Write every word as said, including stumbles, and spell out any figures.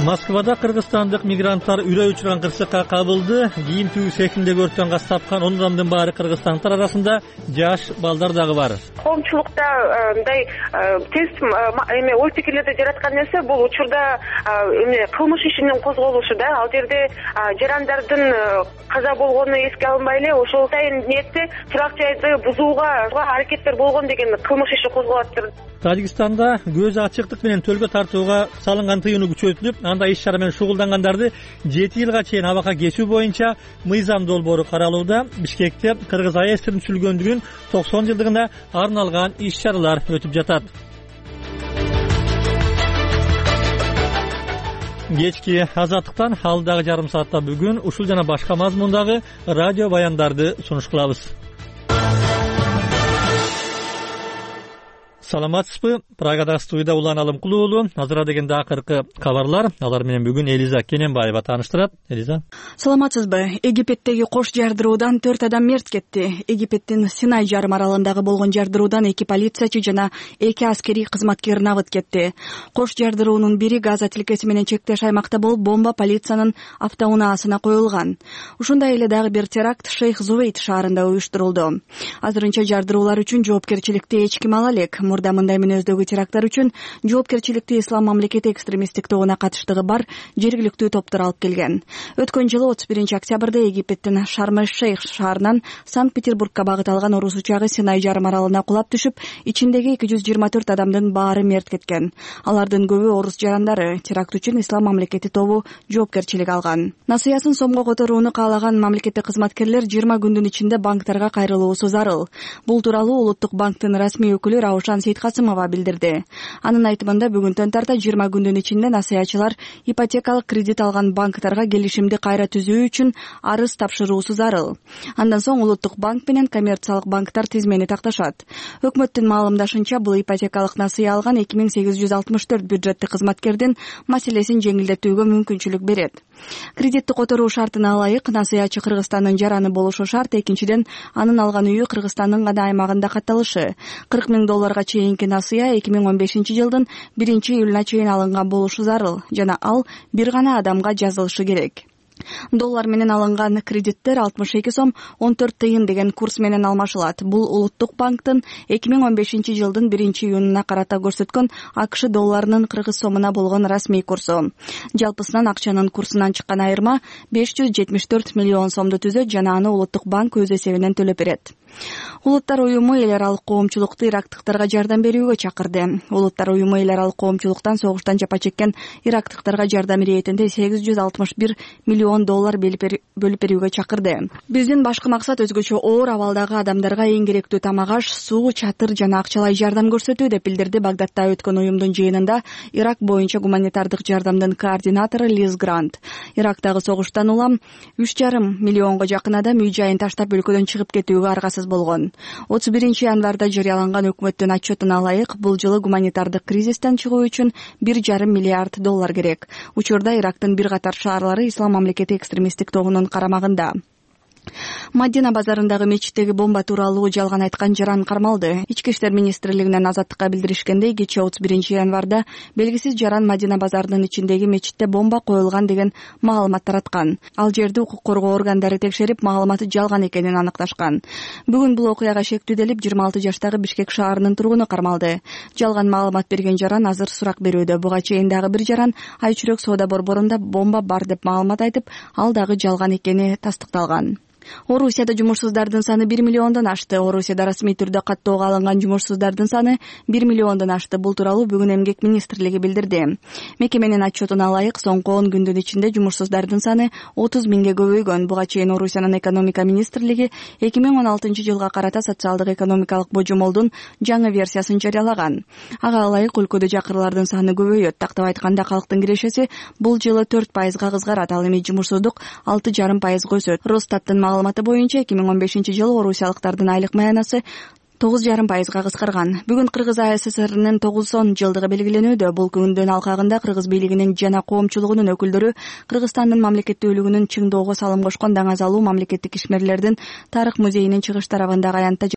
Москвада кыргызстандык мигранттар үрөй учурган кырсыкка кабылды. Кийим түү цехиндеги өрттөн каз тапкан он адамдын баары кыргызстандыктар арасында жаш балдар дагы бар. Коомчулукта мындай тез эме ой пикирлерди жараткан нерсе бул учурда эме кылмыш ишинин козголушу да. Ал жерде жарандардын каза болгону эске алынбай эле ошол атайын ниетте турак жайды бузууга аракеттер болгон деген кылмыш иши козголот. Тажикстанда көз ачыктык менен төлгө тартууга салынган тыюуну күчөтүлүп, анда иш чара менен шугулдангандарды жети жылга чейин абакка кесүү боюнча мыйзам долбоору каралууда. Бишкекте Кыргыз АЭСтин түзүлгөндүгүнүн токсон жылдыгына арналган иш чаралар өтүп жатат. Кечки азаттыктан алдагы жарым саатта бүгүн ушул жана башка мазмундагы радио баяндарды сунуш кылабыз. Саламатсызбы? Прагада студияда Улан Алымкулуу уулу. Азыра дегенде акыркы кабарлар. Алар менен бүгүн Элиза Кененбаева тааныштырат. Элиза. Саламатсызбы? Египеттеги кош жардыруудан төрт адам мерт кетти. Египеттин Синай жарым аралындагы болгон жардыруудан эки полициячы жана эки аскерий кызматкер набыт кетти. Кош жардыруунун бири Газа тилкеси менен чектеш аймакта болуп, бомба полициянын автоунаасына коюлган. Ушундай эле дагы бир теракт Шейх Зувейт шаарында уюштурулду. Азырынча жардыруулар үчүн жоопкерчиликти эч ким ала элек. Мурда мындай мүнөздөгү теракттар үчүн жоопкерчиликти Ислам мамлекети экстремисттик тобуна катыштыгы бар жергиликтүү топтор алып келген. Өткөн жылы отуз биринчи октябрда Египеттин Шарм-эль-Шейх шаарынан Санкт-Петербургка багыт алган орус учагы Синай жарым аралына кулап түшүп, ичиндеги эки жүз жыйырма төрт адамдын баары мерт кеткен. Алардын көбү орус жарандары. Теракт үчүн Ислам мамлекети тобу жоопкерчилик алган. Насыясын сомго которууну каалаган мамлекеттик кызматкерлер жыйырма күндүн ичинде банктарга кайрылуусу зарыл. Бул тууралуу Улуттук банктын расмий өкүлү Раушан Сейткасымова билдирди. Анын айтымында бүгүнтөн тарта жыйырма күндүн ичинде насыячылар ипотекалык кредит алган банктарга келишимди кайра түзүү үчүн арыз тапшыруусу зарыл. Андан соң Улуттук банк менен коммерциялык банктар тизмени такташат. Өкмөттүн маалымдашынча, бул ипотекалык насыя алган эки миң сегиз жүз алтымыш төрт бюджеттик кызматкердин маселесин жеңилдетүүгө мүмкүнчүлүк берет. Кредитти которуу шартына ылайык насыячы Кыргызстандын жараны болушу шарт. Экинчиден, анын алган үйү Кыргызстандын гана аймагында катталышы. кырк миң долларга чейинки насыя эки миң он бешинчи жылдын биринчи июлуна чейин алынган болушу зарыл жана ал бир гана адамга жазылышы керек. Доллар менен алынган кредиттер алтымыш эки сом он төрт тыйын деген курс менен алмашылат. Бул Улуттук банктын эки миң он бешинчи жылдын биринчи июнуна карата көрсөткөн АКШ долларынын кыргыз сомуна болгон расмий курсу. Жалпысынан акчанын курсунан чыккан айырма беш жүз жетимиш төрт миллион сомду түзөт жана аны Улуттук банк өз эсебинен төлөп берет. Улуттар уюму эл аралык коомчулукту ирактыктарга жардам берүүгө чакырды. Улуттар уюму эл аралык коомчулуктан согуштан жапа чеккен ирактыктарга жардам иретинде сегиз жүз алтымыш бир миллион доллар бөлүп берүүгө чакырды. Биздин башкы максат өзгөчө оор абалдагы адамдарга эң керектүү тамак аш, суу, чатыр жана акчалай жардам көрсөтүү деп билдирди Багдадта өткөн уюмдун жыйынында Ирак боюнча гуманитардык жардамдын координатору Лиз Грант. Ирактагы согуштан улам үч жарым миллионго жакын адам үй жайын таштап өлкөдөн чыгып кетүүгө аргасыз болгон. отуз биринчи январда жарыяланган өкмөттүн отчетуна ылайык, бул жылы гуманитардык кризистен чыгуу үчүн бир жарым миллиард доллар керек. Учурда Ирактын бир катар шаарлары Ислам мамлекети экстремисттик тобунун карамагында. Мадина базарындагы мечиттеги бомба тууралуу жалган айткан жаран кармалды. Ички иштер министрлигинен Азаттыкка билдиришкендей, кечээ отуз биринчи январда белгисиз жаран Мадина базарынын ичиндеги мечитте бомба коюлган деген маалымат тараткан. Ал жерди укук коргоо органдары текшерип, маалыматы жалган экенин аныкташкан. Бүгүн бул окуяга шектүүделип, жыйырма алты жаштагы Бишкек шаарынын тургуну кармалды. Жалган маалымат берген жаран азыр сурак берүүдө. Буга чейин дагы бир жаран Айчүрөк соода борборунда бомба бар деп маалымат айтып, ал дагы жалган экени тастыкталган. Орусияда жумушсуздардын саны бир миллиондон ашты. Орусияда расмий түрдө каттоого алынган жумушсуздардын саны бир миллиондон ашты. Бул тууралуу бүгүн Эмгек министрлиги билдирди. Мекеменин отчетуна ылайык, соңку он күндүн ичинде жумушсуздардын саны отуз миңге көбөйгөн. Буга чейин Орусиянын экономика министрлиги эки миң он алтынчы жылга карата социалдык экономикалык божомолдун жаңы версиясын жарыялаган. Ага ылайык, өлкөдө жакырлардын саны көбөйөт. Тактап айтканда, калктын кирешеси бул жылы төрт пайызга кызгарат. Ал эми жумушсуздук алты жарым пайызга өсөт. Росстаттын маалыматы боюнча эки миң он бешинчи жылы орусиялыктардын айлык маянасы тогуз жарым пайызга кыскарган. Бүгүн Кыргыз АССРнын тогузон жылдыгы белгиленүүдө. Бул күндүн алкагында Кыргыз бийлигинин жана коомчулугунун өкүлдөрү Кыргызстандын мамлекеттүүлүгүнүн чыңдоого салым кошкон даңазалуу мамлекеттик ишмерлердин тарых музейинин чыгыш тарабындагы аянтта